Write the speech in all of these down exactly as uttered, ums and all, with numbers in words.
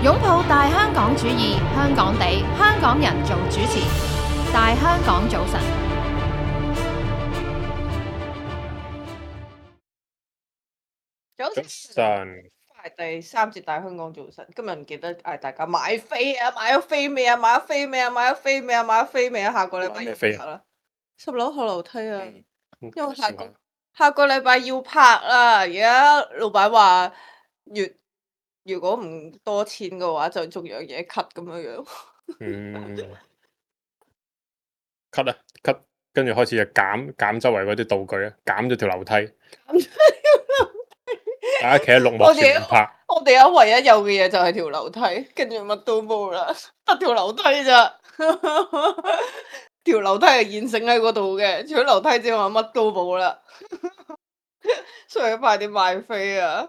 擁抱大香港主義，香港地，香港人做主持。大香港早晨，早早晨，係第三節大香港早晨。今日唔記得嗌大家買飛啊！買咗飛未啊？買咗飛未啊？買咗飛未啊？買咗飛未啊？下個禮拜買咩飛啊要拍啦，十樓後樓梯啊！嗯，因為下個算下個禮拜要拍啦，而家老闆話月如果唔多錢嘅話，就仲有嘢 cut 咁樣樣。嗯，cut 啊 cut，跟住開始就減減周圍嗰啲道具啊，減咗條樓梯，大家企喺綠幕我哋前面拍，我哋而家唯一有嘅嘢就係條樓梯，跟住乜都冇啦，得條樓梯咋。條樓梯係現成喺嗰度嘅，除咗樓梯之外乜都冇啦。所以快啲買飛啊！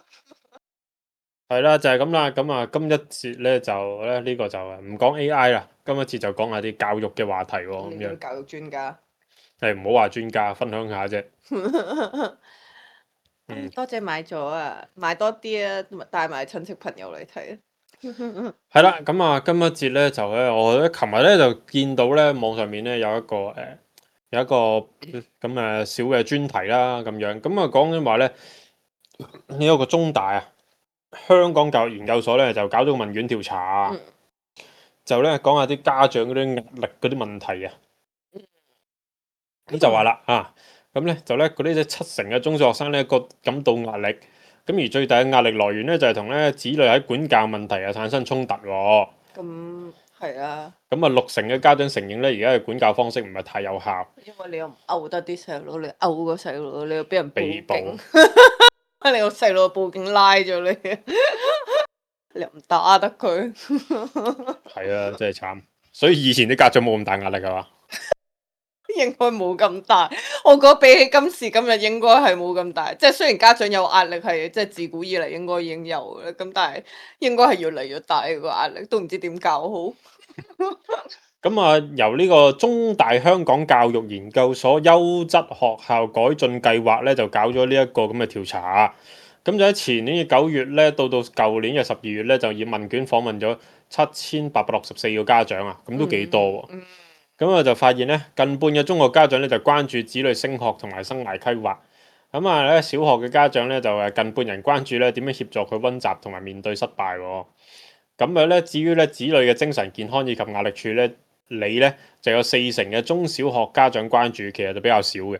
係啦，就係咁啦。咁啊，今一節咧就咧呢個就唔講 A I 啦，今一節就講下啲教育嘅話題喎。咁樣你啲教育專家，係唔好話專家，分享下啫。唉嗯，多謝買咗啊，買多啲啊，帶埋親戚朋友嚟睇啊。係啦，咁啊，今一節咧就咧，我咧琴日咧就見到咧網上面咧有一個誒、呃有一個咁誒小嘅專題啦，咁樣咁啊講緊話咧呢一個中大啊。香港教育研究所咧就搞咗個問卷調查，嗯就咧講下啲家長嗰啲壓力嗰啲問題啊。咁就話啦啊，咁咧就咧嗰啲七成嘅中小學生咧覺感到壓力，咁而最大嘅壓力來源咧就係同咧子女喺管教問題啊產生衝突喎。咁係啊，咁啊六成嘅家長承認咧而家嘅管教方式唔係太有效，因為你又唔毆得啲細路，你毆個細路，你又俾人被捕報警，你個細路報警拉咗你，你又唔打得佢。係啊，真係慘。所以以前啲家長冇咁大壓力係嘛？應該冇咁大，我覺得比起今時今日應該係冇咁大。即係雖然家長有壓力係即係自古以嚟應該已經有嘅，咁但係應該係越嚟越大個壓力，都唔知點教好。咁啊，由呢個中大香港教育研究所優質學校改進計劃咧，就搞咗呢一個咁嘅調查。咁就喺前年嘅九月咧，到到舊年嘅十二月咧，就以問卷訪問咗七千八百六十四個家長啊，咁都幾多喎。嗯咁啊就發現咧，近半嘅中學家長咧就關注子女升學同埋生涯規劃。咁啊咧，小學嘅家長咧就誒近半人關注咧點樣協助佢温習同埋面對失敗喎。咁樣咧，至於咧子女嘅精神健康以及壓力處咧，你咧就有四成嘅中小學家長關注，其實就比較少嘅。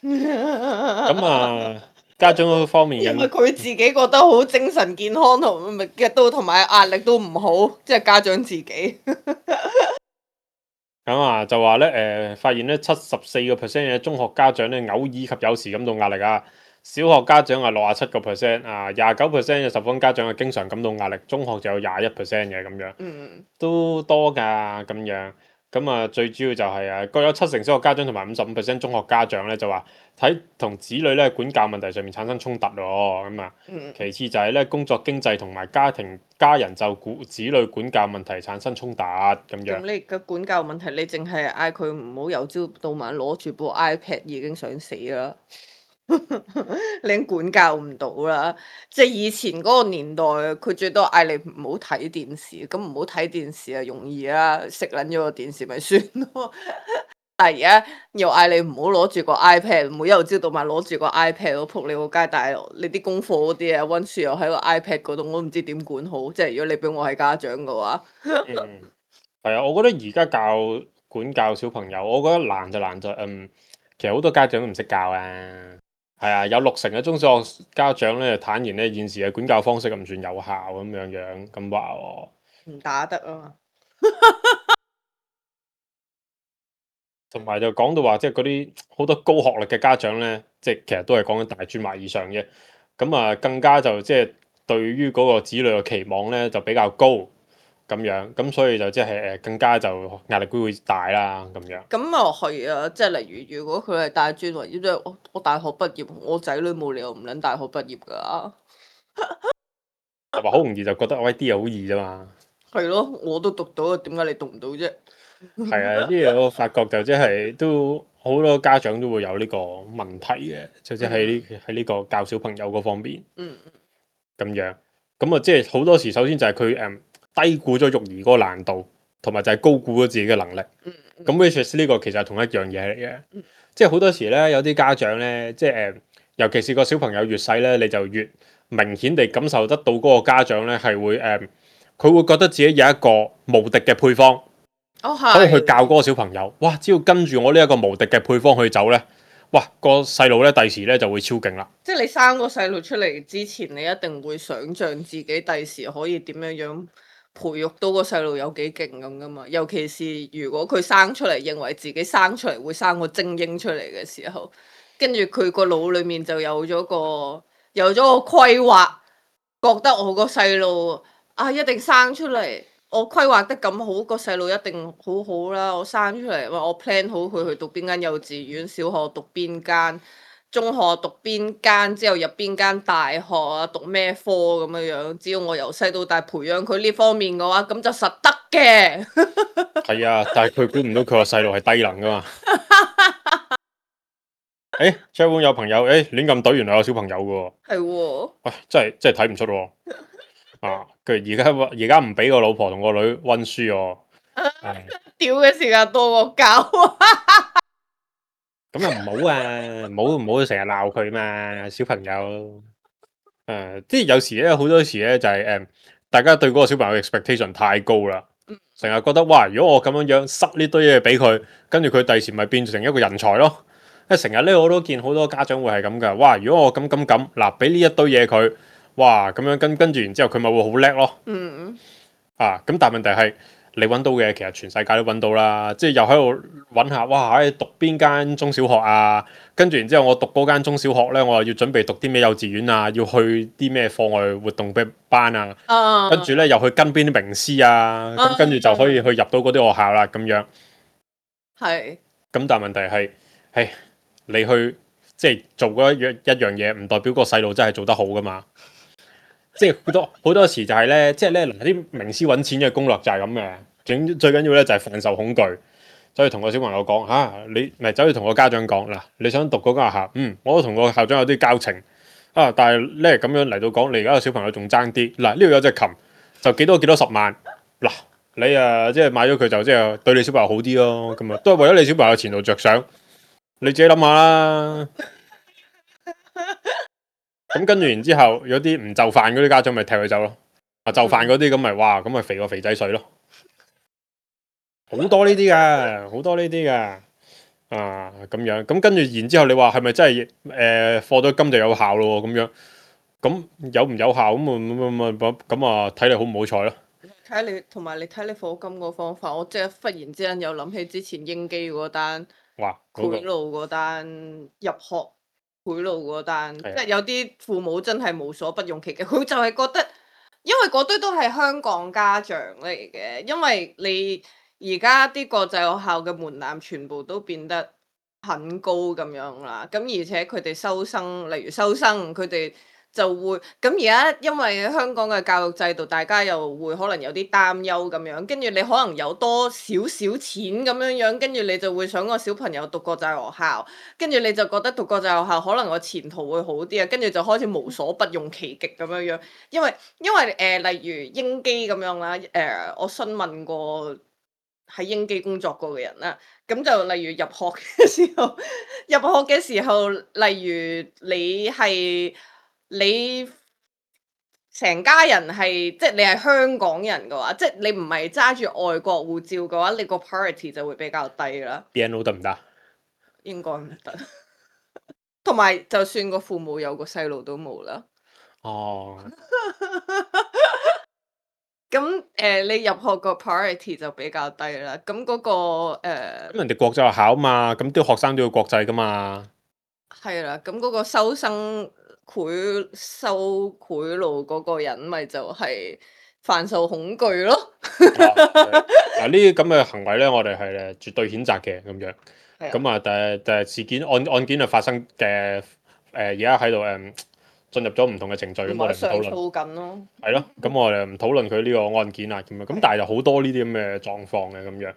咁啊，家長嗰方面因為嘅佢自己覺得好精神健康同咪嘅都同埋壓力都唔好，即係家長自己。咁啊，就話咧誒，發現咧七十四個 percent 嘅中學家長咧偶爾及有時感到壓力啊。小學家長係六十七個 percent 啊，廿九 percent 嘅受訪家長係經常感到壓力，中學就有廿一 percent 嘅咁樣，嗯，都多㗎咁樣。咁啊，最主要就係啊，各有七成小學家長同埋五十五 percent 中學家長咧就話睇同子女咧管教問題上面產生衝突咯。咁啊，嗯其次就係咧工作經濟同埋家庭家人就顧子女管教問題產生衝突咁樣。咁你嘅管教問題，你淨係嗌佢唔好由朝到晚攞住部 iPad 已經想死啦。你已經管教唔到啦，即係以前嗰個年代，佢最多嗌你唔好睇電視，咁唔好睇電視啊容易啦，食撚咗個電視咪算咯。但係而家又嗌你唔好攞住個 iPad，唔好由朝到晚攞住個 iPad，我仆你個街，但係你啲功課嗰啲啊温書又喺個 iPad 嗰度，我都唔知點管好。即係如果你俾我係家長嘅話，嗯，係啊，我覺得而家教管教小朋友，我覺得難就難在嗯，其實好多家長都唔識教啊。係啊，有六成嘅中小學家長咧坦言咧現時嘅管教方式唔算有效咁樣樣咁話喎。唔打得啊嘛。同埋就講到話，即係嗰啲好多高學歷嘅家長咧，即係其實都係講緊大專或以上嘅，咁啊更加就即係對於嗰個子女嘅期望咧就比較高咁樣，咁所以就即係誒更加就壓力都會大啦咁樣。咁啊係啊，即係例如如果佢係大專或者即係我我大學畢業，我仔女冇理由唔撚大學畢業㗎。同埋好容易就覺得喂啲嘢好易啫嘛。係咯，我都讀到，點解你讀唔到啫？係啊，啲嘢我發覺就即係都好多家長都會有呢個問題嘅，就即係喺呢喺呢個教小朋友嗰方面嗯咁樣。咁啊，即係好多時首先就係佢誒低估咗育兒嗰個難度，同埋就係高估咗自己嘅能力。嗯咁 which is 呢個其實係同一樣嘢嚟嘅，嗯即係好多時咧有啲家長咧，即係誒，尤其是個小朋友越細咧，你就越明顯地感受得到嗰個家長咧係會誒，佢、會覺得自己有一個無敵嘅配方，哦可以去係，教嗰個小朋友。哇！只要跟住我呢一個無敵嘅配方去走咧，哇！個細路咧第時咧就會超勁啦。即係你生個細路出嚟之前，你一定會想像自己第時可以點樣樣培育到個細路有幾勁咁噶嘛？尤其是如果佢生出嚟認為自己生出嚟會生個精英出嚟嘅時候，跟住佢個腦裡面就有咗個有咗個規劃，覺得我個細路啊一定生出嚟，我規劃得咁好，個細路一定好好啦。我生出嚟，我 plan 好佢去讀邊間幼稚園，小學讀邊間。中學讀邊間，之後入邊間大學啊，讀咩科咁樣樣。只要我由細到大培養佢呢方面嘅話，咁就實得嘅。係啊，但係佢估唔到佢個細路係低能噶嘛。誒 c h a 有朋友誒亂咁懟，原來有小朋友嘅喎。係喎，喂，真係真係睇唔出喎。啊，佢而家而家唔俾個老婆同個女温書喎。唉屌嘅時間多過教啊！咁又唔好啊，唔好唔好成日鬧佢嘛，小朋友。誒、即係有時咧，好多時咧就係、誒，大家對嗰個小朋友嘅 expectation 太高啦，成日覺得哇，如果我咁樣樣塞呢堆嘢俾佢，跟住佢第時咪變成一個人才咯。因為成日咧我都見好多家長會係咁噶，哇！如果我咁咁咁，嗱俾呢一堆嘢佢，哇咁樣跟跟住然之後佢咪會好叻咯。嗯，啊，咁但係問題係你揾到嘅，其實全世界都揾到啦，即係又喺度揾下，哇！喺讀邊間中小學啊？跟住然之後我讀嗰間中小學咧，我又要準備讀啲咩幼稚園啊？要去啲咩課外活動班啊？啊，跟住咧又去跟邊啲名師啊？咁跟住就可以去入到嗰啲學校啦，咁樣。係，咁但係問題係，係你去即係做嗰一樣一樣嘢，唔代表個細路真係做得好噶嘛。即係好多好多時就係咧，即係咧嗱啲名師揾錢嘅攻略就係咁嘅，最最緊要咧就係販售恐懼，所以同個小朋友講嚇、啊，你咪走去同個家長講嗱，你想讀嗰間學校，嗯，我都同個校長有啲交情啊，但係咧咁樣嚟到講，你而家個小朋友仲爭啲嗱，呢度有隻琴就幾多幾多十萬嗱，你啊即係買咗佢就即係對你小朋友好啲咯，咁啊都係為咗你小朋友前途着想，你自己諗下啦。咁跟住然之後，有啲唔就範嗰啲家長咪踢佢走咯。啊，就範嗰啲咁咪哇，咁咪肥個肥仔水咯。好多呢啲噶，好多呢啲噶。啊，咁樣咁跟住然之後，你話係咪真係誒課咗金就有效咯？咁樣咁有唔有效咁啊咁咁啊睇你好唔好彩咯。睇你同埋你睇你課金個方法，我即係忽然之間又諗起之前英基嗰單哇，嗰個賄賂嗰單入學。賄賂嗰單，即係有啲父母真係無所不用其極，佢就係覺得，因為嗰堆都係香港家長嚟嘅，因為你而家啲國際學校嘅門檻全部都變得很高咁樣啦，咁而且佢哋收生，例如收生，佢哋就會咁而家，因為香港嘅教育制度，大家又會可能有啲擔憂咁樣，跟住你可能有多少少錢咁樣樣，跟住你就會想個小朋友讀國際學校，跟住你就覺得讀國際學校可能個前途會好啲啊，跟住就開始無所不用其極咁樣樣，因為因為誒、呃、例如英基咁樣啦，誒、呃、我詢問過喺英基工作過嘅人啦，咁就例如入學嘅時候，入學嘅時候，例如你係。你成家人係即係你係香港人嘅話，即係你唔係揸住外國護照嘅話，你個 priority 就會比較低啦。B N O 得唔得？應該唔得。同埋就算個父母有個細路都冇啦。哦。咁誒、呃，你入學個 priority 就比較低啦。咁嗰、嗰個誒，咁、呃、人哋國際學校嘛，咁啲學生都要國際噶嘛。係啦，咁嗰個收生。賄收賄賂嗰個人咪就係販售恐懼咯。嗱呢啲咁嘅行為咧，我哋係誒絕對譴責嘅咁樣。咁啊，但係但係事件案案件啊發生嘅誒，而家喺度誒進入咗唔同嘅程序，咁我哋唔討論。上訴緊咯。係咯，咁我哋唔討論佢呢個案件啊咁樣。咁但係就好多呢啲咁嘅狀況嘅咁樣。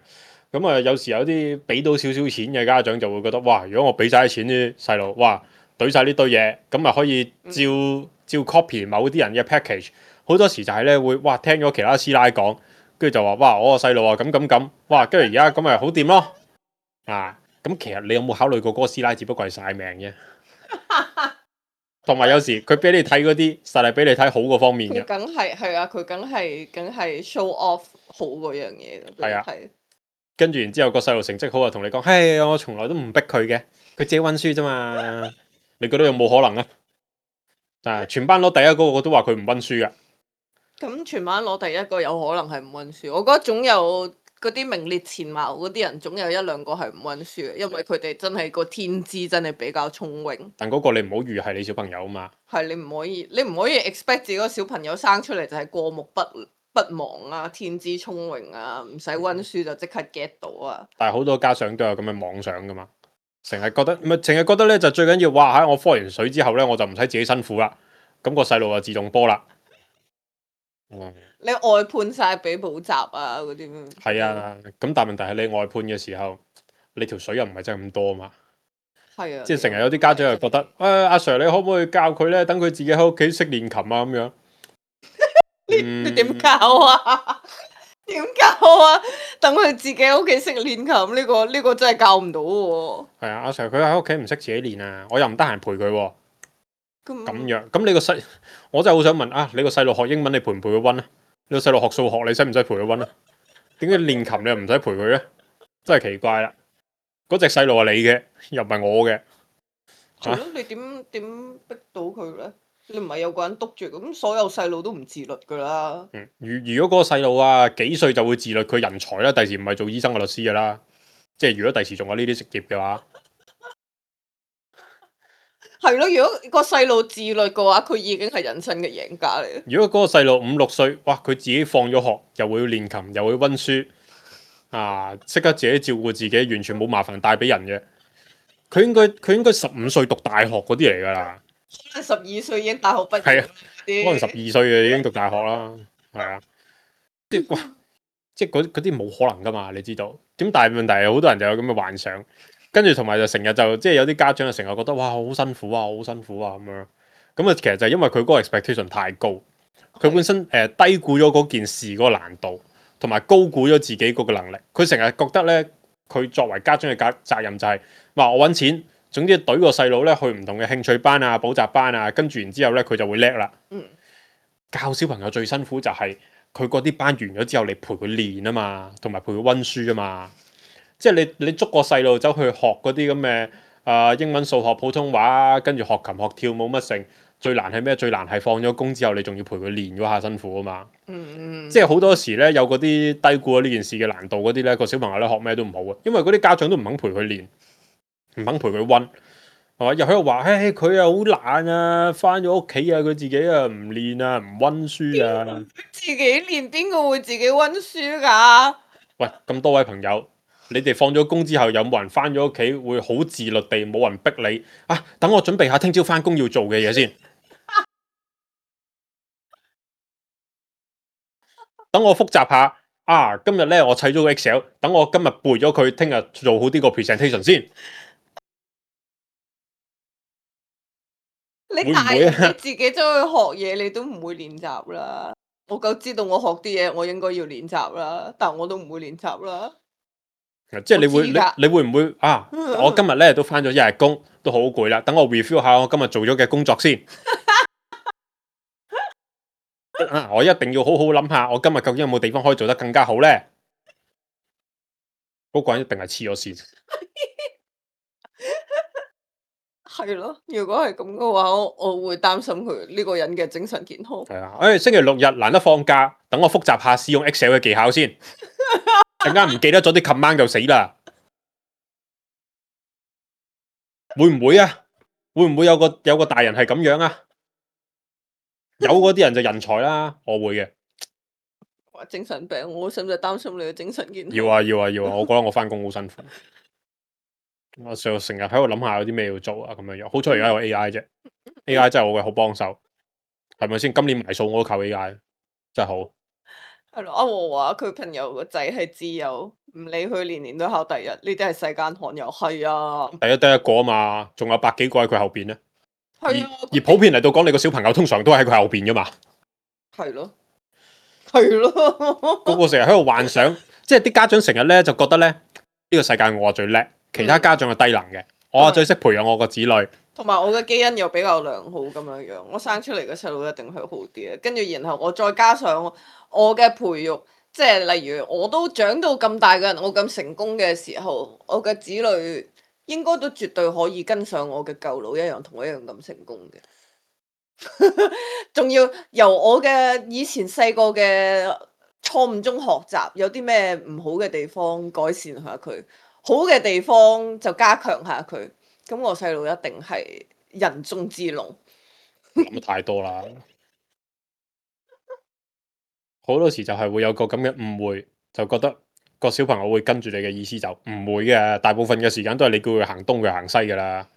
咁啊，有時有啲俾到少少錢嘅家長就會覺得，哇！如果我俾晒啲錢啲細路，哇！懟晒呢堆嘢，咁咪可以照照 copy 某啲人嘅 package 好多時就係咧會哇聽咗其他師奶講，跟住就話哇我個細路啊咁咁咁，哇跟住而家咁咪好掂咯啊！咁其實你有冇考慮過嗰個師奶只不過係晒命啫？同埋有時佢俾你睇嗰啲，實係俾你睇好嗰方面嘅。佢梗係係啊，佢梗係梗係 show off 好嗰樣嘢嘅。係啊係跟住然之後個細路成績好啊，同你講，嘿，我從來都唔逼佢嘅，佢自己温書啫嘛。你覺得有冇可能啊？啊，全班攞第一嗰個都話佢唔温書噶。咁全班攞第一個有可能係唔温書，我覺得總有嗰啲名列前茅嗰啲人，總有一兩個係唔温書嘅，因為佢哋真係個天資真係比較聰穎。但嗰個你唔好預係你小朋友啊嘛。係你唔可以，你唔可以 expect 自己個小朋友生出嚟就係過目不不忘啊，天資聰穎啊，唔使温書就即刻 get 到啊。但係好多家長都有咁嘅妄想噶嘛，成日覺得咪成日覺得咧就最緊要，哇喺我科完水之後咧我就唔使自己辛苦啦，咁個細路就自動波啦。嗯，你外判晒俾補習啊嗰啲咩？係啊，咁但係問題係你外判嘅時候，你條水又唔係真係咁多嘛。係啊，即係成日有啲家長又覺得，誒、哎、阿 Sir 你可唔可以教佢咧？等佢自己喺屋企識練琴啊咁樣。你你點教啊？點教啊？等佢自己喺屋企識練琴呢個呢個真係教唔到喎。係啊，阿 Sir 佢喺屋企唔識自己練啊，我又唔得閒陪佢喎。咁咁樣，咁你個細，我真係好想問啊，你個細路學英文你陪唔陪佢温啊？你個細路學數學你使唔使陪佢温啊？點解練琴你又唔使陪佢咧？真係奇怪啦！嗰隻細路係你嘅，又唔係我嘅。係咯，你點點逼到佢咧？你唔係有個人督住，咁所有細路都唔自律噶啦。嗯，如如果嗰個細路啊幾歲就會自律，佢人才啦，第時唔係做醫生嘅律師噶啦。即係如果第時仲有呢啲職業嘅話，係咯，如果個細路自律嘅話，佢已經係人生嘅贏家嚟。如果嗰個細路五六歲，哇，佢自己放咗學，又會練琴，又會温書，啊，識得自己照顧自己，完全冇麻煩帶俾人嘅。佢應該佢應該十五歲讀大學嗰啲嚟㗎啦。可能十二歲已經大學畢業。係啊，啲可能十二歲嘅已經讀大學啦，係啊，即係哇，即係嗰嗰啲冇可能㗎嘛，你知道？點但係問題係好多人就有咁嘅幻想，跟住同埋就成日就即係有啲家長就成日覺得哇好辛苦啊，好辛苦啊咁樣。咁啊，其實就係因為佢嗰個 expectation 太高，佢本身誒、呃、低估咗嗰件事嗰個難度，同埋高估咗自己嗰個能力。佢成日覺得咧，佢作為家長嘅責責任就係、是、話我揾錢。總之懟個細路咧去唔同嘅興趣班啊、補習班啊，跟住然之後咧佢就會叻啦。嗯，教小朋友最辛苦就係佢嗰啲班完咗之後，你陪佢練啊嘛，同埋陪佢温書啊嘛。即係你你捉個細路走去學嗰啲咁嘅啊英文、數學、普通話，跟住學琴、學跳舞乜成。最難係咩？最難係放咗工之後，你仲要陪佢練嗰下辛苦啊嘛。嗯嗯。即係好多時咧，有嗰啲低估咗呢件事嘅難度嗰啲咧，個小朋友咧學咩都唔好啊，因為嗰啲家長都唔肯陪佢練。唔肯陪佢温，係嘛？又喺度話，唉，佢啊好懶啊，翻咗屋企啊，佢自己啊唔練啊，唔温書啊。自己練，邊個會自己温書㗎？喂，咁多位朋友，你哋放咗工之後，有冇人翻咗屋企會好自律地，冇人逼你啊？等我準備下聽朝翻工要做嘅嘢先。等我複習下啊！今日咧我砌咗個 Excel，等我今日背咗佢，聽日做好啲個 presentation 先。你大人你自己走去學嘢，你都唔會練習啦。我夠知道我學啲嘢，我應該要練習啦，但我都唔會練習啦。即係你會你你會唔會啊？我今日咧都翻咗一日工，都好攰啦。等我 review 下我今日做咗嘅工作先。啊！我一定要好好諗下，我今日究竟有冇地方可以做得更加好咧？嗰個人一定係黐咗線。係咯，如果係咁嘅話，我我會擔心佢呢個人嘅精神健康。係啊，誒星期六日難得放假，等我複習下使用 Excel 嘅技巧先。陣間唔記得咗啲 command 就死啦。會唔會啊？會唔會有個有個大人係咁樣啊？有嗰啲人就人才啦，我會嘅。話精神病，我使唔使擔心你嘅精神健康？要啊要啊要啊！我覺得我翻工好辛苦。我成成日喺度諗下有啲咩要做啊咁樣樣，好彩而家有 A I 啫，A I 真係我嘅好幫手，係咪先？今年埋數我都靠 A I， 真係好。係咯，阿和話佢朋友個仔係自由，唔理佢年年都考第一，呢啲係世間罕有。係啊，第一得一個啊嘛，仲有百幾個喺佢後邊咧。係啊，而普遍嚟到講，你個小朋友通常都喺佢後邊噶嘛。係咯，係咯，個個成日喺度幻想，即係啲家長成日咧就覺得咧呢、呢個世界我係最叻，其他家長係低能嘅，嗯、我係最識培養我個子女，同埋我嘅基因又比較良好咁樣樣，我生出嚟嘅細路一定係好啲嘅。跟住然後我再加上我嘅培育，即係例如我都長到咁大嘅人，我咁成功嘅時候，我嘅子女應該都絕對可以跟上我嘅舊佬一樣，同我一樣咁成功嘅。仲要由我嘅以前細個嘅錯誤中學習，有啲咩唔好嘅地方改善下佢，好嘅地方就加強下佢。咁我細路一定係人中之龍。諗得太多啦，好多時就係會有個咁嘅誤會，就覺得個小朋友會跟住你嘅意思，就唔會嘅。大部分嘅時間都係你叫佢行東，佢行西噶啦。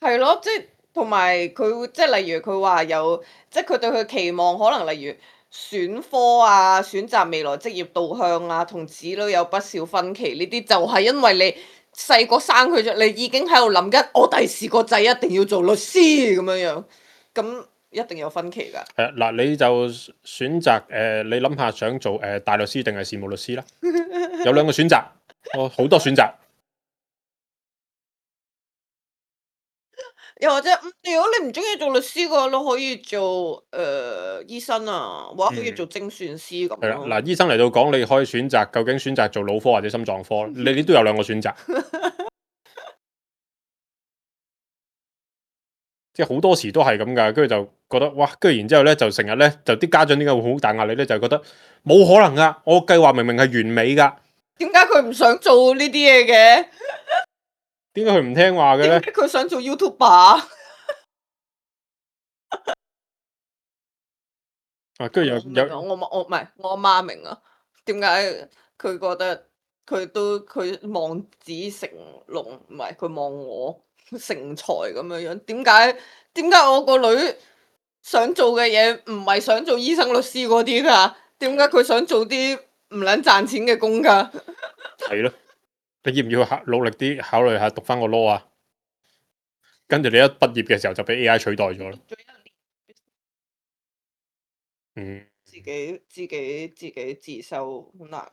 係咯，即係同埋佢會即係例如佢話有，即係佢對佢期望，可能例如選科啊、選擇未來職業導向啊，同子女有不少分歧。呢啲就係因為你細個生佢咗，你已經喺度諗緊，我第時個仔一定要做律師咁樣樣，咁一定有分歧㗎。係啊，嗱，你就選擇誒、呃，你諗下想做誒、呃、大律師定係事務律師啦？有兩個選擇，我好多選擇。又或者，如果你唔中意做律師嘅話，你可以做誒、呃、醫生啊，或者可以做精算師咁係啦，咯。嗱，醫生嚟到講，你可以選擇究竟選擇做腦科或者心臟科，你哋都有兩個選擇。即係好多時都係咁噶，跟住就覺得哇，跟住然之後咧就成日咧就啲家長點解會好大壓力咧？就係覺得冇可能噶，我計劃明明係完美噶，點解佢唔想做呢啲嘢嘅？點解佢唔聽話嘅咧？點解佢想做 YouTuber？啊，跟住有有我我唔係我阿媽明啊，點解佢覺得佢都佢望子成龍，唔係佢望我成才咁樣樣？點解點解我個女想做嘅嘢唔係想做醫生、律師嗰啲㗎？點解佢想做啲唔撚賺錢嘅工㗎？係咯，你要唔要考努力啲考慮下讀翻個 law 啊？跟住你一畢業嘅時候就俾 A I 取代咗啦。嗯，自己自己自己自修好難。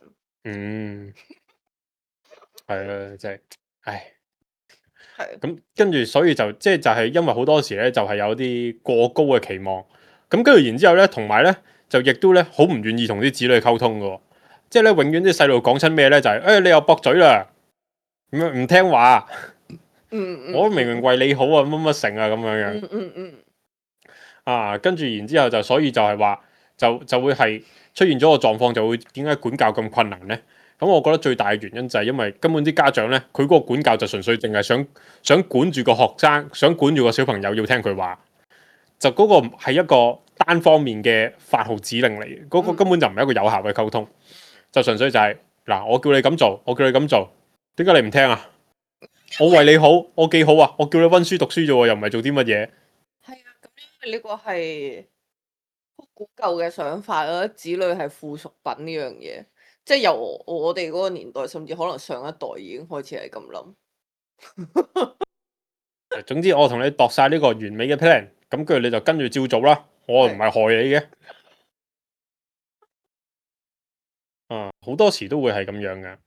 嗯，係啊，真係，唉，係咁跟住所以就即係就係因為好多時咧就係有啲過高嘅期望，咁跟住然之後咧，同埋咧就亦都咧好唔願意同啲子女溝通嘅，即係咧永遠啲細路講親咩咧就係、是、誒、哎、你又駁嘴啦，咁樣唔聽話，嗯嗯，我明明為你好啊，乜乜成啊咁樣樣，嗯嗯嗯，啊跟住然之後就所以就係話就就會係出現咗個狀況，就會點解管教咁困難咧？咁我覺得最大嘅原因就係因為根本啲家長咧，佢嗰個管教就純粹淨係想想管住個學生，想管住個小朋友要聽佢話，就嗰個係一個單方面嘅發號指令嚟嘅，嗰、嗰個根本就唔係一個有效嘅溝通，就純粹就係、是、嗱，我叫你咁做，我叫你咁做，點解你唔聽啊？我為你好，我幾好啊？我叫你温書讀書啫喎，又唔係做啲乜嘢。係啊，咁因為呢個係好古舊嘅想法啦，子女係附屬品呢樣嘢。即係由我哋嗰個年代，甚至可能上一代已經開始係咁諗。總之我同你度晒呢個完美嘅 plan，咁跟住你就跟住照做啦。我唔係害你嘅。啊，好多時都會係咁樣嘅。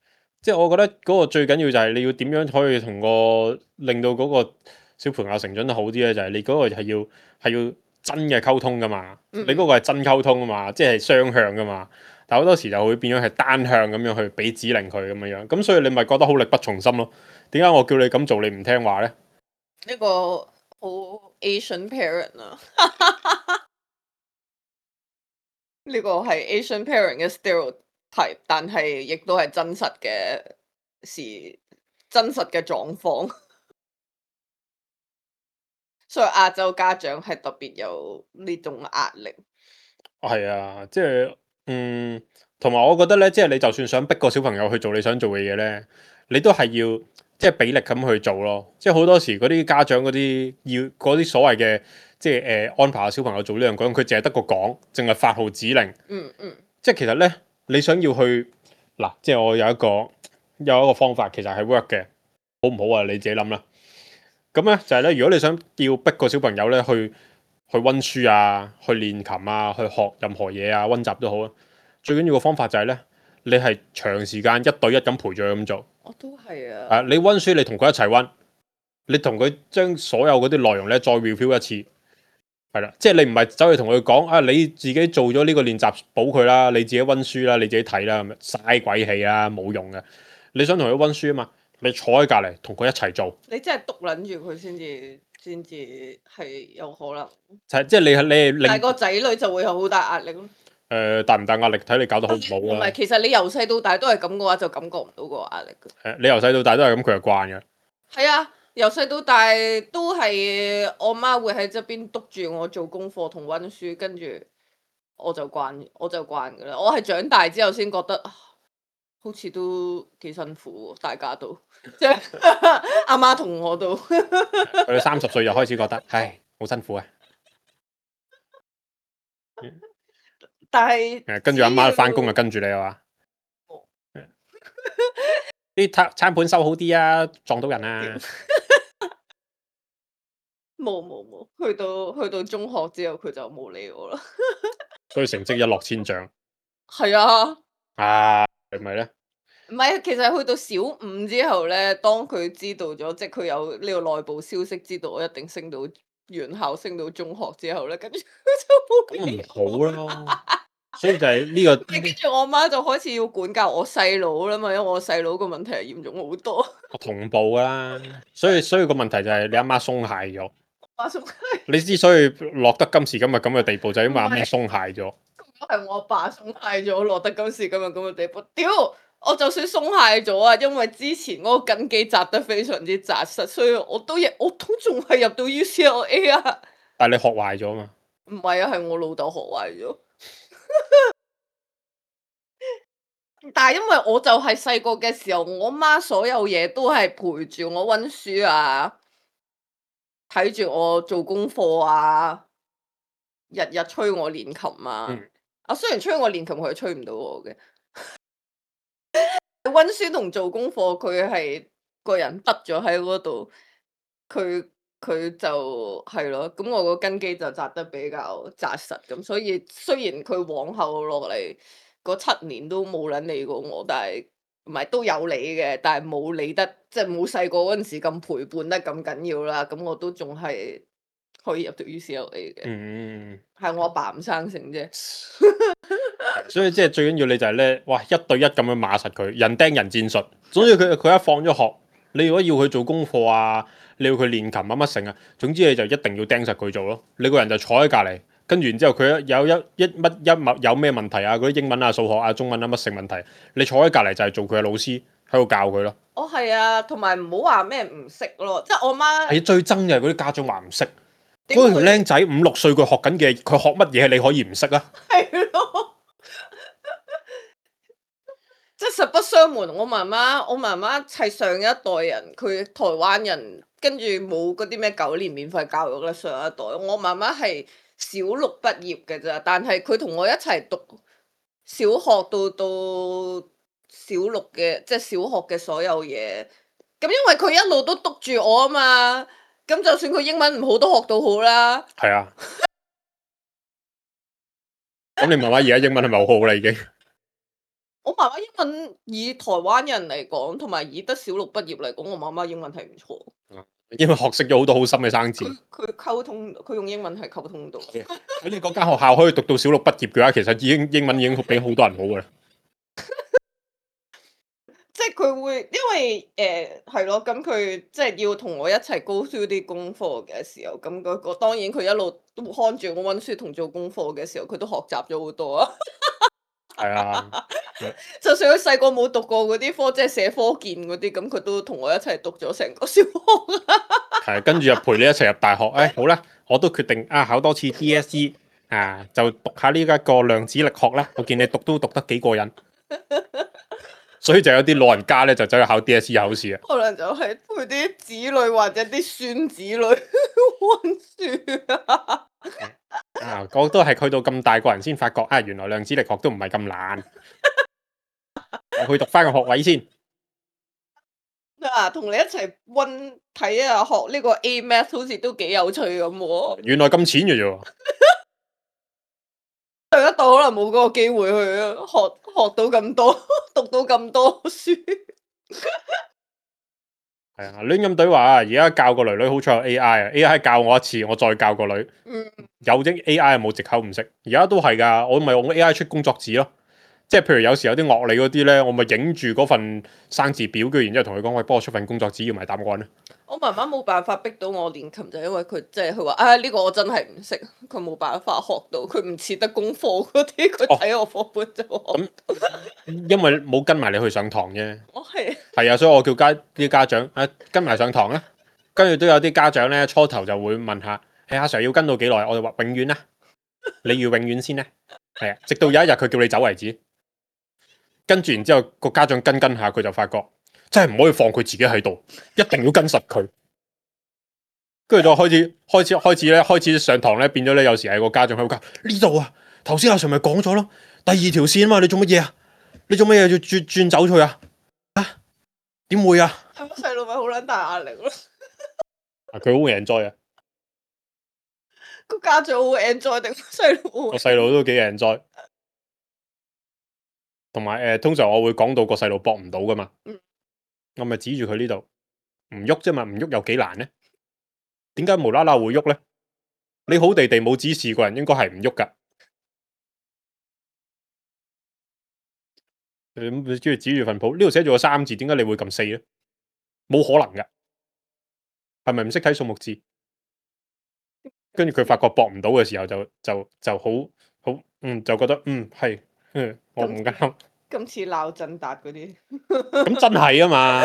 即係我覺得嗰個最緊要就係你要點樣可以同個令到嗰個小朋友成長得好啲咧？就係、是、你嗰個係要係要真嘅溝通噶嘛。嗯、你嗰個係真溝通啊嘛，即係雙向噶嘛。但好多時就會變咗係單向咁樣去俾指令佢咁樣樣，咁所以你咪覺得好力不從心咯？點解我叫你咁做你唔聽話咧？呢個好 Asian parent 啊，呢個係 Asian parent 嘅 stereotype，但係亦都係真實嘅事，真實嘅狀況。所以亞洲家長係特別有呢種壓力。係啊，即係嗯。同埋我覺得咧，即係你就算想逼個小朋友去做你想做嘅嘢咧，你都係要即係俾力咁去做咯。即係好多時嗰啲家長嗰啲要嗰啲所謂嘅即係誒、呃、安排下小朋友做呢樣嗰樣，佢淨係得個講，淨係發號指令。嗯嗯。即係其實咧，你想要去嗱，即係我有一個有一個方法，其實係 work 嘅，好唔好啊？你自己諗啦。咁咧就係咧，如果你想要逼個小朋友咧去去温書啊，去練琴啊，去學任何嘢啊，温習都好啊。最緊要個方法就係咧，你係長時間一對一咁陪住佢咁做。我都係啊。啊，你温書你同佢一齊温，你同佢將所有嗰啲內容咧再 review 一次，係啦，即係你唔係走去同佢講啊，你自己做咗呢個練習補佢啦，你自己温書啦，你自己睇啦，咁樣嘥鬼氣啦，冇用嘅。你想同佢温書啊嘛，你坐喺隔離同佢一齊做。你真係督撚住佢先至先至係有可能。就係即係你係你係令但係個仔女就會有好大壓力咯。誒大唔大壓力睇你搞得好唔好唔係，啦。其實你由細到大都係咁嘅話，就感覺唔到個壓力嘅。誒你由細到大都係咁，佢就慣嘅。係啊，由細到大都係我媽會喺側邊督住我做功課同温書，跟住我就慣，我就慣㗎啦。我係長大之後先覺得啊，好似都幾辛苦喎，大家都即係阿媽同我都。佢三十歲就開始覺得，唉，好辛苦啊！但係誒跟住阿媽翻工就跟住你啊嘛。啲餐餐盤收好啲啊，撞到人啊！冇冇冇，去到去到中學之後佢就冇理我啦。所以成績一落千丈。係啊。啊，係咪咧？唔係，其實去到小五之後咧，當佢知道咗，即係佢有呢個內部消息，知道我一定升到原校，升到中學之後咧，跟住佢就冇理咁唔好咯。所以就係呢、個。跟住我媽就開始要管教我細佬啦嘛，因為我細佬個問題係嚴重好多。同步噶啦，所以所以個問題就係你阿媽鬆懈咗。阿叔係你之所以落得今時今日咁嘅地步，就係因為阿媽鬆懈咗。係我阿爸鬆懈咗，落得今時今日咁嘅地步。屌！我就算鬆懈咗啊，因為之前嗰個根基扎得非常之扎實，所以我都亦我都仲係入到 U C L A 啊。但係你學壞咗嘛？唔係啊，係我老豆學壞咗。但係因為我就係細個嘅時候，我媽所有嘢都係陪住我温書啊，睇住我做功課啊，日日催我練琴啊。嗯啊，雖然催我練琴，佢係催唔到我嘅。温書同做功課，佢係個人得咗喺嗰度，佢佢就係咯。咁我個根基就扎得比較扎實，咁所以雖然佢往後落嚟嗰七年都冇撚理過我，但係唔係都有理嘅，但係冇理得，即係冇細個嗰陣時咁陪伴得咁緊要啦。咁我都仲係可以入到 U C L A 嘅。嗯，係我阿爸唔生性啫。所以即係最緊要你就係咧，哇一對一咁樣碼實佢，人釘人戰術。總之佢佢一放咗學，你如果要佢做功課啊，你要佢練琴啊乜成啊，總之你就一定要釘實佢做咯。你個人就坐喺隔離，跟住然之後佢有一一乜一物有咩問題啊，嗰啲英文啊、數學啊、中文啊乜成問題，你坐喺隔離就係做佢嘅老師喺度教佢咯。哦，係啊，同埋唔好話咩唔識咯，即係我媽係最憎嘅係嗰啲家長話唔識，點會嗰條僆仔五六歲佢學緊嘅，佢學乜嘢你可以唔識啊？係咯。即係實不相瞞，我媽媽，我媽媽係上一代人，佢台灣人，跟住冇嗰啲咩九年免費教育啦。上一代，我媽媽係小六畢業嘅咋，但係佢同我一齊讀小學到到小六嘅，即係小學嘅所有嘢。咁因為佢一路都督住我啊嘛，咁就算佢英文唔好都學到好啦。係啊。咁你媽媽而家英文係咪好好啦已經？我媽媽英文以台灣人嚟講，同埋以得小六畢業嚟講，我媽媽英文係唔錯。因為學識咗好多好深嘅生字。佢佢溝通，佢用英文係溝通到。喺你嗰間學校可以讀到小六畢業嘅話，其實已經英文已經比好多人好噶啦。即係佢會，因為誒係咯，咁佢即係要同我一齊 go through 啲功課嘅時候，咁嗰個當然佢一路都看住我温書同做功課嘅時候，佢都學習咗好多啊。係啊，就算佢細個冇讀過嗰啲科，即係寫科建嗰啲，咁佢都同我一齊讀咗成個小學。係跟住又陪你一齊入大學。誒、哎、好啦，我都決定啊考多次 D S E 啊，就讀下呢一個量子力學啦。我見你讀都讀得幾過癮，所以就有啲老人家咧就走去考 D S E 考試啊。可能就係陪啲子女或者啲孫子女温書啊。啊，我都係去到咁大個人先發覺啊，原來量子力學都唔係咁難。我去讀翻個學位先。啊，同你一齊温睇啊，學呢個 A Math 好似都幾有趣咁喎。原來咁淺嘅啫喎。上一代可能冇嗰個機會去學學到咁多，讀到咁多書。係啊，亂咁對話啊！而家教個女女好彩有 A I 啊，A I 教我一次，我再教個女。嗯，有啲 A I 冇藉口唔識，而家都係㗎，我咪用 A I 出工作紙咯。即係譬如有時有啲樂理嗰啲咧，我咪影住嗰份生字表，跟住然之後同佢講：喂，幫我出份工作紙，要埋答案咧。我媽媽冇辦法逼到我練琴，就因為佢即係佢話：啊呢個我真係唔識，佢冇辦法學到，佢唔似得功課嗰啲，佢睇我課本就學。咁因為冇跟埋你去上堂啫。我係係啊，所以我叫家啲家長啊跟埋上堂啦。跟住都有啲家長咧，初頭就會問下：誒阿 Sir 要跟到幾耐？我就話永遠啦，你要永遠先咧。係啊，直到有一日佢叫你走為止。跟住然之後個家長跟跟下，佢就發覺真係唔可以放佢自己喺度，一定要跟實佢。跟住就開始開始開始咧，開始上堂咧變咗咧，有時係個家長喺度教呢度啊。頭先阿 Sir 咪講咗咯，第二條線啊嘛，你做乜嘢啊？你做乜嘢要轉轉走佢啊？啊？點會啊？係咪細路咪好撚大壓力咯？佢好 enjoy 啊！個家長好 enjoy 定細路？個細路都幾 enjoy。同埋誒，通常我會講到個細路搏唔到噶嘛，嗯、我咪指住佢呢度唔喐啫嘛，唔喐有幾難咧？點解無啦啦會喐咧？你好地地冇指示個人，應該係唔喐噶。咁你中意指住份譜，呢度寫住個三字，點解你會撳四咧？冇可能噶，係咪唔識睇數目字？跟住佢發覺搏唔到嘅時候就，就就就好好嗯，就覺得嗯係，嗯我唔啱。今次鬧振達嗰啲，咁真係啊嘛，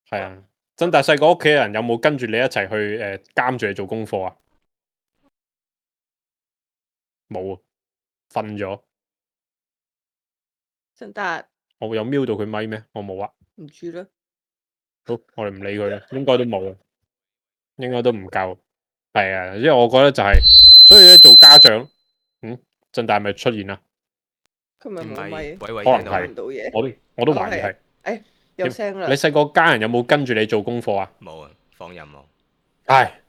係啊，振達細個屋企人有冇跟住你一齊去誒監住你做功課啊？冇啊，瞓咗。振達，我有瞄到佢咪咩？我冇啊。唔知啦。好，我哋唔理佢啦，應該都冇啊，應該都唔夠。係啊，因為我覺得就係、是，所以咧做家長，嗯，振達咪出現啦。佢咪冇咪，可能係，唔到嘢。我都我都懷疑係。誒，有聲啦。你細個家人有冇跟住你做功課啊？冇啊，放任我。唉，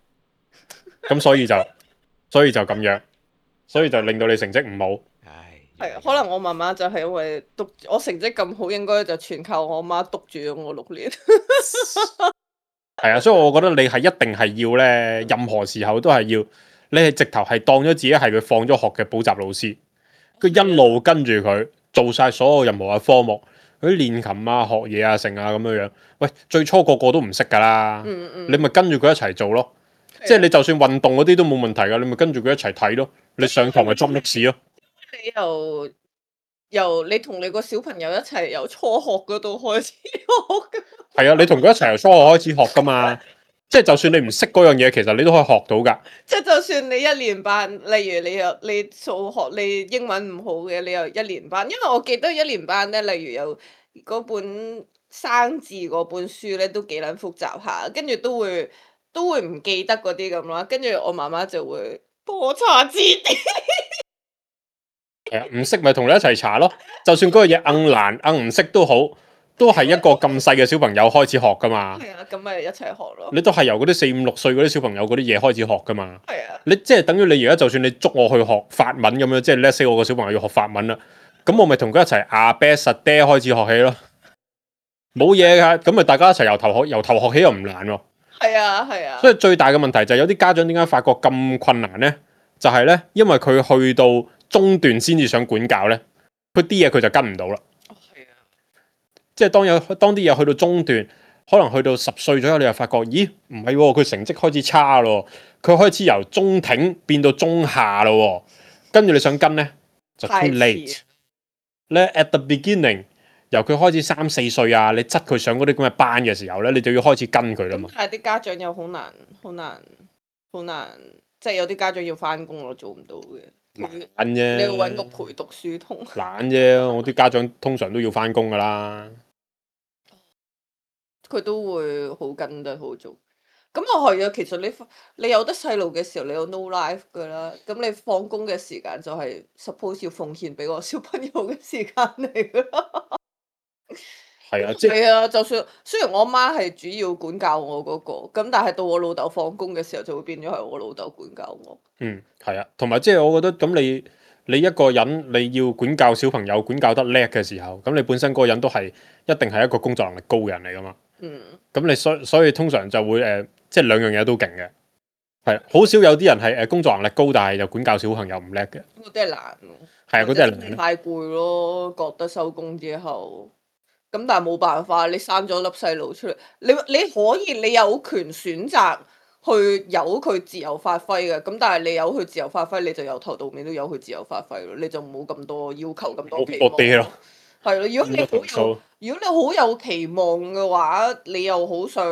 咁所以就，所以就咁樣，所以就令到你成績唔好。唉，係可能我媽媽就係因為督我成績咁好，應該就全靠我媽督住咗我六年。係啊，所以我覺得你係一定係要咧，任何時候都係要，你係直頭係當咗自己係佢放咗學嘅補習老師，佢一路跟住佢做晒所有任何嘅科目，佢啲練琴啊、學嘢啊、成啊咁樣樣。喂，最初個個都唔識噶啦，嗯嗯你咪跟住佢一齊做咯。即係你就算運動嗰啲都冇問題噶，你咪跟住佢一齊睇咯。你上堂咪捉歷史咯。你由由你同你個小朋友一齊由初學嗰度開始學㗎。係啊，你同佢一齊由初學開始學噶嘛。即係就算你唔識嗰樣嘢，其實你都可以學到噶。即係就算你一年班，例如你又你數學你英文唔好嘅，你又一年班，因為我記得一年班咧，例如有嗰本生字嗰本書咧，都幾撚複雜下，跟住都會都會唔記得嗰啲咁啦，跟住我媽媽就會幫我查字典。係啊，唔識咪同你一齊查咯。就算嗰個嘢硬難硬唔識都好，都係一個咁細嘅小朋友開始學噶嘛。係啊，咁咪一齊學咯。你都係由嗰啲四五六歲嗰啲小朋友嗰啲嘢開始學噶嘛。係啊。你即係等於你而家就算你捉我去學法文咁樣，即係 let's say 我個小朋友要學法文啦，咁我咪同佢一齊阿爹實爹開始學起咯。冇嘢噶，咁咪大家一齊由頭學，由頭學起又唔難喎。係啊，係啊。所以最大嘅問題就係有啲家長點解發覺咁困難咧？就係、是、咧，因為佢去到中段先至想管教咧，佢啲嘢佢就跟唔到啦。哦，係啊。即係當有當啲嘢去到中段，可能去到十歲左右，你又發覺，咦，唔係喎，佢成績開始差咯，佢開始由中挺變到中下咯，跟住你想跟咧就 too late。咧 at the beginning， 由佢開始三四歲啊，你執佢上嗰啲咁嘅班嘅時候咧，你就要開始跟佢啦嘛。但係啲家長又好難，好難，好難，即係有啲家長要翻工咯，做唔到嘅。懶啫，你要揾個陪讀書童。懶啫，我啲家長通常都要翻工噶啦。佢都會好跟得好做。咁啊係啊，其實你你有得細路嘅時候，你有 no life 噶啦。咁你放工嘅時間就係 suppose 要奉獻俾個小朋友嘅時間嚟噶啦。係啊，即係係啊，就算雖然我媽係主要管教我嗰、個，咁但係到我老豆放工嘅時候就會變咗係我老豆管教我。嗯係啊，同埋即係我覺得咁你你一個人你要管教小朋友管教得叻嘅時候，咁你本身嗰個人都係一定係一個工作能力高嘅人嚟噶嘛。嗯，咁你所所以通常就會誒、呃，即係兩樣嘢都勁嘅。係好少有啲人係誒工作能力高，但係又管教小朋友唔叻嘅。嗰啲係難喎。係啊，嗰啲係難。太攰咯，覺得收工之後，咁但係冇辦法，你生咗粒細路出嚟，你你可以你有權選擇去由佢自由發揮嘅，咁但係你由佢自由發揮，你就由頭到尾都由佢自由發揮咯，你就冇咁多要求咁多期望。我哋咯，係咯，如果你好有咁多投訴如果你好有期望嘅話，你又好想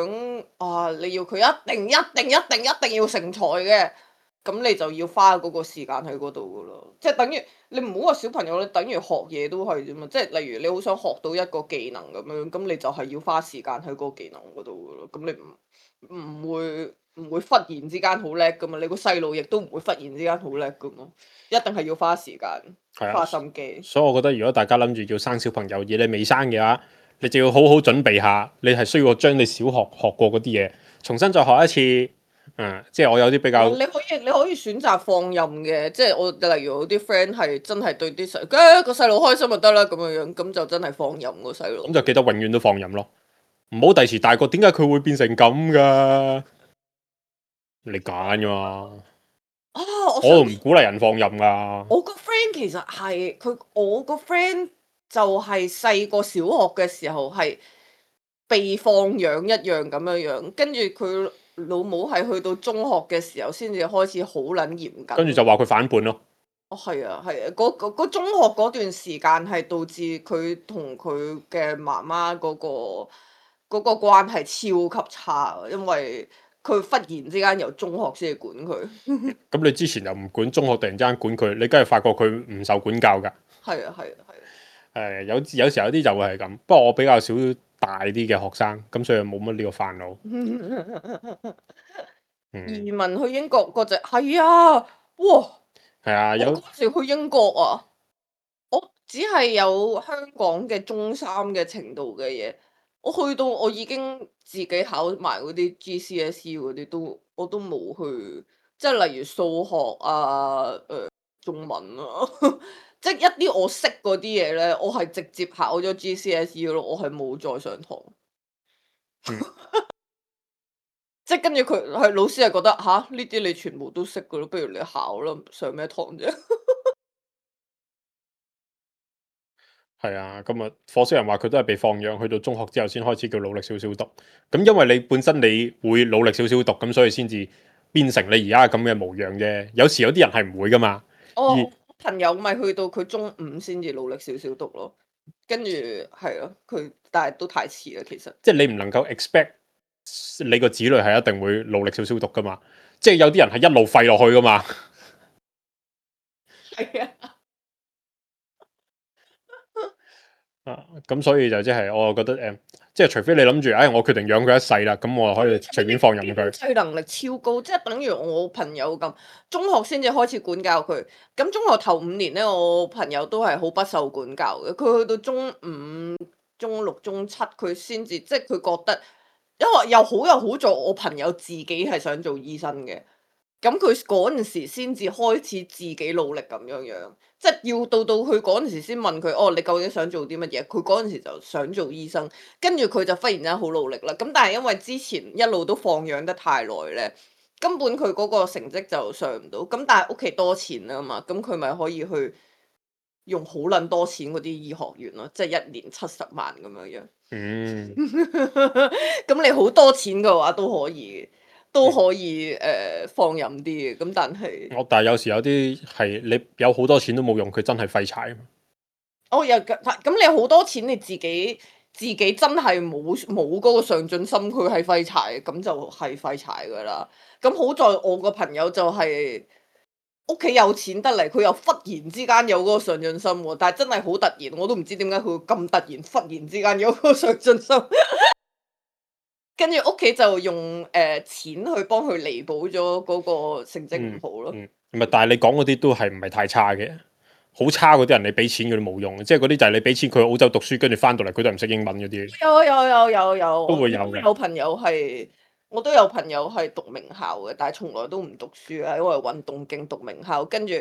啊，你要佢一定一定一定一定要成才嘅，咁你就要花嗰個時間喺嗰度噶咯，即係等於你唔好話小朋友，你等於學嘢都係啫嘛，即係例如你好想學到一個技能咁樣，咁你就係要花時間喺嗰個技能嗰度噶咯，咁你唔唔會唔會忽然之間好叻噶嘛，你個細路亦都唔會忽然之間好叻噶嘛，一定係要花時間。係啊花心機，所以我覺得如果大家諗住要生小朋友而你未生嘅話，你就要好好準備下，你係需要將你小學學過嗰啲嘢重新再學一次。嗯，即係我有啲比較，你可以你可以選擇放任嘅，即係我例如我啲 friend 係真係對啲細，誒個細路開心就得啦咁樣樣，咁就真係放任個細路。咁就記得永遠都放任咯，唔好第時大個點解佢會變成咁噶？你揀噶嘛？啊，我我想唔鼓勵人放任噶。我個 friend 其實係佢，我個 friend 就係細個小學嘅時候係被放養一樣咁樣樣，跟住佢老母係去到中學嘅時候先至開始好撚嚴謹。跟住就話佢反叛咯。哦，係啊，係啊，嗰嗰嗰中學嗰段時間係導致佢同佢嘅媽媽嗰個嗰個關係超級差，因為佢忽然之間由中學先至管佢。咁你之前又唔管，中學突然之間管佢，你梗係發覺佢唔受管教㗎。係啊，係啊，係啊。誒有有時候有啲就會係咁，不過我比較少大啲嘅學生，咁所以冇乜呢個煩惱。嗯，移民去英國嗰隻係啊，哇！係啊，我有嗰時去英國啊，我只係有香港嘅中三嘅程度嘅嘢，我去到我已經自己考埋嗰啲 G C S E 嗰啲都我都冇去，即係例如數學啊、誒、中文啊，即係一啲我識嗰啲嘢咧，我係直接考咗 G C S E 咯，我係冇再上堂。嗯即係跟住佢係老師係覺得吓，呢啲你全部都識噶咯，不如你考啦，上咩堂啫？係啊，咁啊，火星人話佢都係被放養，去到中學之後先開始叫努力少少讀。咁因為你本身你會努力少少讀，咁所以先至變成你而家咁嘅模樣啫。有時有啲人係唔會噶嘛。我而朋友咪去到佢中五先至努力少少讀咯，跟住係咯，佢但係都太遲啦，其實。即係你唔能夠 expect 你個子女係一定會努力少少讀噶嘛。即係有啲人係一路廢落去噶嘛。係啊。啊，咁所以就即係我覺得誒、呃，即係除非你諗住，唉，我決定養佢一世啦，咁我可以隨便放任佢。經濟能力超高，即係等於我朋友咁，中學先至開始管教佢。咁中學頭五年咧，我朋友都係好不受管教嘅。佢去到中五、中六、中七，佢先至即係佢覺得，因為又好又好在我朋友自己係想做醫生嘅。咁佢嗰陣時先至開始自己努力咁樣樣，即係要到到佢嗰陣時先問佢，哦，你究竟想做啲乜嘢？佢嗰陣時就想做醫生，跟住佢就忽然間好努力啦。咁但係因為之前一路都放養得太耐咧，根本佢嗰個成績就上唔到。咁但係屋企多錢啊嘛，咁佢咪可以去用好撚多錢嗰啲醫學院咯，即係一年七十萬咁樣樣。嗯，咁你好多錢嘅話都可以。都可以誒、呃、放任啲嘅，咁但係我但係有時有啲係你有好多錢都冇用，佢真係廢柴啊嘛。我又咁你好多錢，你自己自己真係冇冇嗰個上進心，佢係廢柴，咁就係廢柴噶啦。咁好在我個朋友就係屋企有錢得嚟，佢又忽然之間有嗰個上進心喎，但係真係好突然，我都唔知點解佢會咁突然忽然之間有嗰個上進心。跟住屋企就用誒、呃、錢去幫佢彌補咗嗰個成績唔好咯。嗯，唔、嗯、係，但係你講嗰啲都係唔係太差嘅，好差嗰啲人，你俾錢佢都冇用，即係嗰啲就係你俾錢佢去澳洲讀書，跟住翻到嚟佢都唔識英文嗰啲。有有有有有，都會有嘅有朋友係，我都有朋友係讀名校嘅，但係從來都唔讀書啊，因為運動勁讀名校，跟住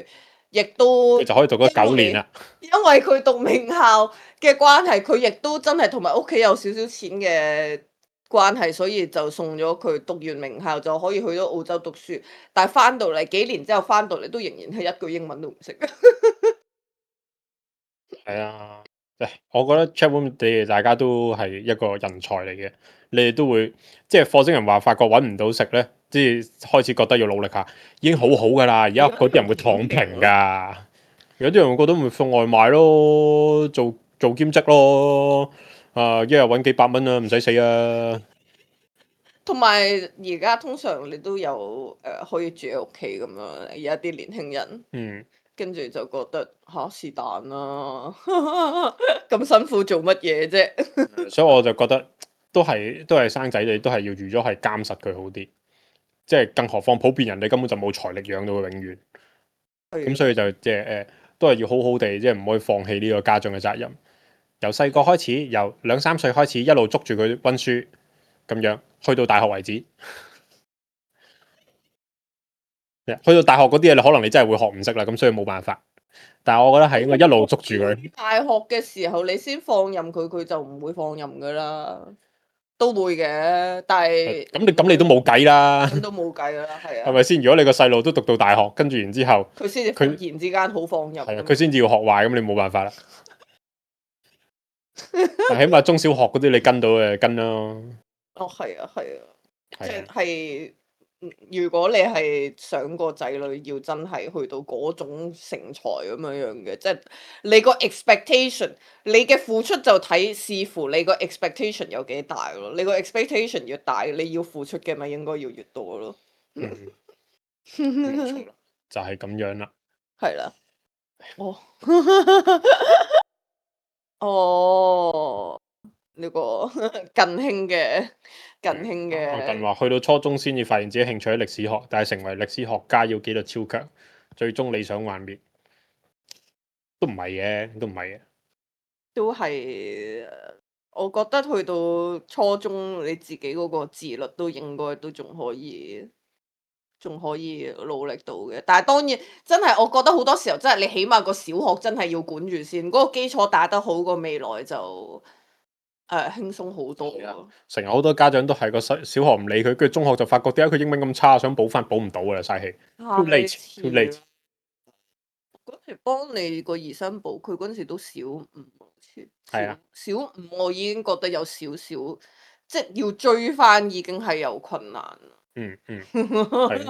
亦都佢就可以讀咗九年啦。因為佢讀名校嘅關係，佢亦都真係同埋屋企有少少錢嘅關係，所以就送咗佢讀完名校就可以去咗澳洲讀書，但係翻到嚟幾年之後翻到嚟都仍然係一句英文都唔識。係啊，誒，我覺得 Chatroom 你哋大家都係一個人才嚟嘅，你哋都會即係火星人話發覺揾唔到食咧，即係開始覺得要努力下，已經好好噶啦。而家嗰啲人會躺平㗎，有啲人會覺得咪送外賣咯，做做兼職咯，啊一日揾幾百蚊啊，唔使死啊！同埋而家通常你都有誒、呃、可以住喺屋企咁樣，而家啲年輕人。嗯。跟住就覺得嚇是但啦，咁辛苦做乜嘢啫？所以我就覺得都係都係生仔，你都係要預咗係監實佢好啲。即係更何況普遍人哋根本就冇財力養到佢永遠。咁所以就即係誒，都係要好好地，即係唔可以放棄呢個家長嘅責任。由細個開始，由兩三歲開始，一路捉住佢温書，咁樣去到大學為止。去到大學嗰啲嘢，你可能你真係會學唔識啦，咁所以冇辦法。但係我覺得係應該一路捉住佢。大學嘅時候你先放任佢，佢就唔會放任噶啦，都會嘅。但係咁你咁你都冇計啦，咁都冇計啦，係啊。係咪先？如果你個細路都讀到大學，跟住然之後佢先至忽然之間好放任。係啊，佢先至要學壞，咁你冇辦法啦。但起碼中小學嗰啲你跟到誒跟咯。哦，係啊，係啊，即係啊係如果你係想個仔女要真係去到嗰種成才咁樣樣嘅，即係你個 expectation，你嘅付出就睇視乎你個 expectation 有幾大咯。你個 expectation 越大，你要付出嘅咪應該要越多咯。嗯，冇錯啦，就係咁樣啦。係啦。哦。哦。呢個近興嘅近興嘅。近話去到初中先至發現自己興趣喺歷史學，但係成為歷史學家要紀律超強，最終理想幻滅。都唔係嘅，都唔係嘅。都係，我覺得去到初中你自己嗰個自律都應該都仲可以，仲可以努力到嘅。但係當然真係，我覺得好多時候真係你起碼個小學真係要管住先，嗰個基礎打得好，個未來就誒輕鬆好多咯。成日好多家長都係個小小學唔理佢，跟住中學就發覺點解佢英文咁差，想補翻補唔到噶啦，嘥氣。Too late，too late。嗰時幫你個兒生補，佢嗰陣時都小五，好似。係啊。小五我已經覺得有少少，即係要追翻已經係有困難啦。嗯嗯，係，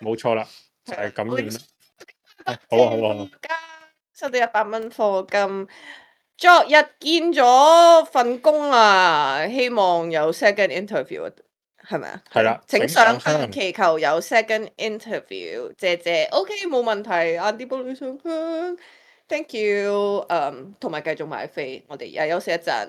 冇錯啦，就係咁樣啦。好啊好啊好啊。收到一百蚊課金，昨日見咗份工啊，希望有 second interview。係咪啊？係啦，請上香祈求有 second interview，謝謝。OK，冇問題。晏啲幫你上香，thank you。誒，同埋繼續買飛，我哋而家休息一陣。